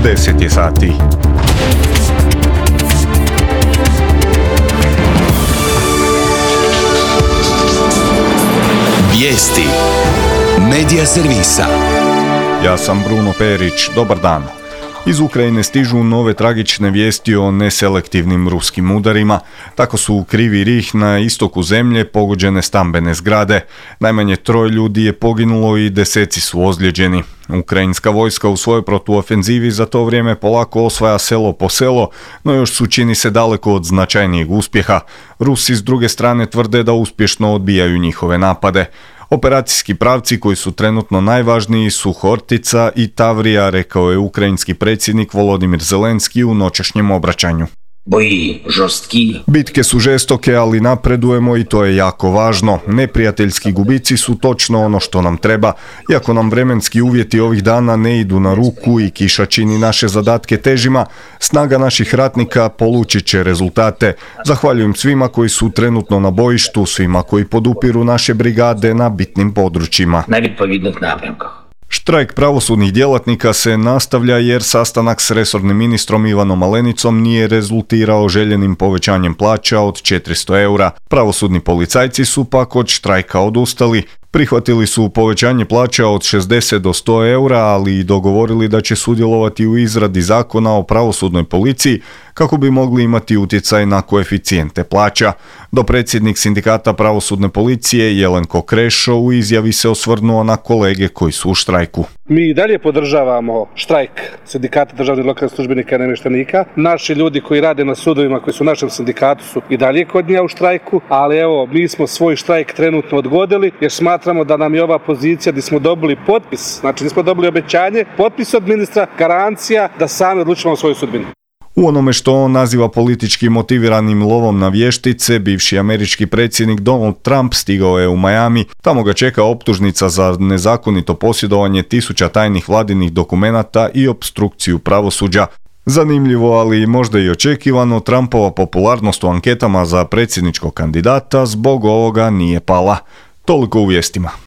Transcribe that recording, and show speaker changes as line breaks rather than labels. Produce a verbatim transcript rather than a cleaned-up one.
deset je sati.
Vijesti Medija servisa.
Ja sam Bruno Perić, dobar dan. Iz Ukrajine stižu nove tragične vijesti o neselektivnim ruskim udarima. Tako su u Krivi Rih na istoku zemlje pogođene stambene zgrade. Najmanje troje ljudi je poginulo i deseci su ozlijeđeni. Ukrajinska vojska u svojoj protuofenzivi za to vrijeme polako osvaja selo po selo, no još su, čini se, daleko od značajnijeg uspjeha. Rusi s druge strane tvrde da uspješno odbijaju njihove napade. Operacijski pravci koji su trenutno najvažniji su Hortica i Tavrija, rekao je ukrajinski predsjednik Volodimir Zelenski u noćašnjem obraćanju.
Boji žorstki.
Bitke su žestoke, ali napredujemo i to je jako važno. Neprijateljski gubici su točno ono što nam treba. Iako nam vremenski uvjeti ovih dana ne idu na ruku i kiša čini naše zadatke težima, snaga naših ratnika polučit će rezultate. Zahvaljujem svima koji su trenutno na bojištu, svima koji podupiru naše brigade na bitnim područjima.
Na відповідних напрямках.
Štrajk pravosudnih djelatnika se nastavlja jer sastanak s resornim ministrom Ivanom Malenicom nije rezultirao željenim povećanjem plaća od četiristo eura. Pravosudni policajci su pak od štrajka odustali. Prihvatili su povećanje plaća od šezdeset do sto eura, ali i dogovorili da će sudjelovati u izradi zakona o pravosudnoj policiji kako bi mogli imati utjecaj na koeficijente plaća. Dopredsjednik sindikata pravosudne policije Jelenko Krešo u izjavi se osvrnuo na kolege koji su u štrajku.
Mi i dalje podržavamo štrajk sindikata državnih lokalnih službenika i namještenika. Naši ljudi koji rade na sudovima, koji su u našem sindikatu, su i dalje kod nje u štrajku, ali evo, mi smo svoj štrajk trenutno odgodili jer smatramo da nam je ova pozicija gdje smo dobili potpis, znači nismo dobili obećanje, potpis od ministra, garancija da sami odlučimo o svojoj sudbini.
U onome što on naziva politički motiviranim lovom na vještice, bivši američki predsjednik Donald Trump stigao je u Miami. Tamo ga čeka optužnica za nezakonito posjedovanje tisuća tajnih vladinih dokumenata i opstrukciju pravosuđa. Zanimljivo, ali možda i očekivano, Trumpova popularnost u anketama za predsjedničkog kandidata zbog ovoga nije pala. Toliko u vijestima.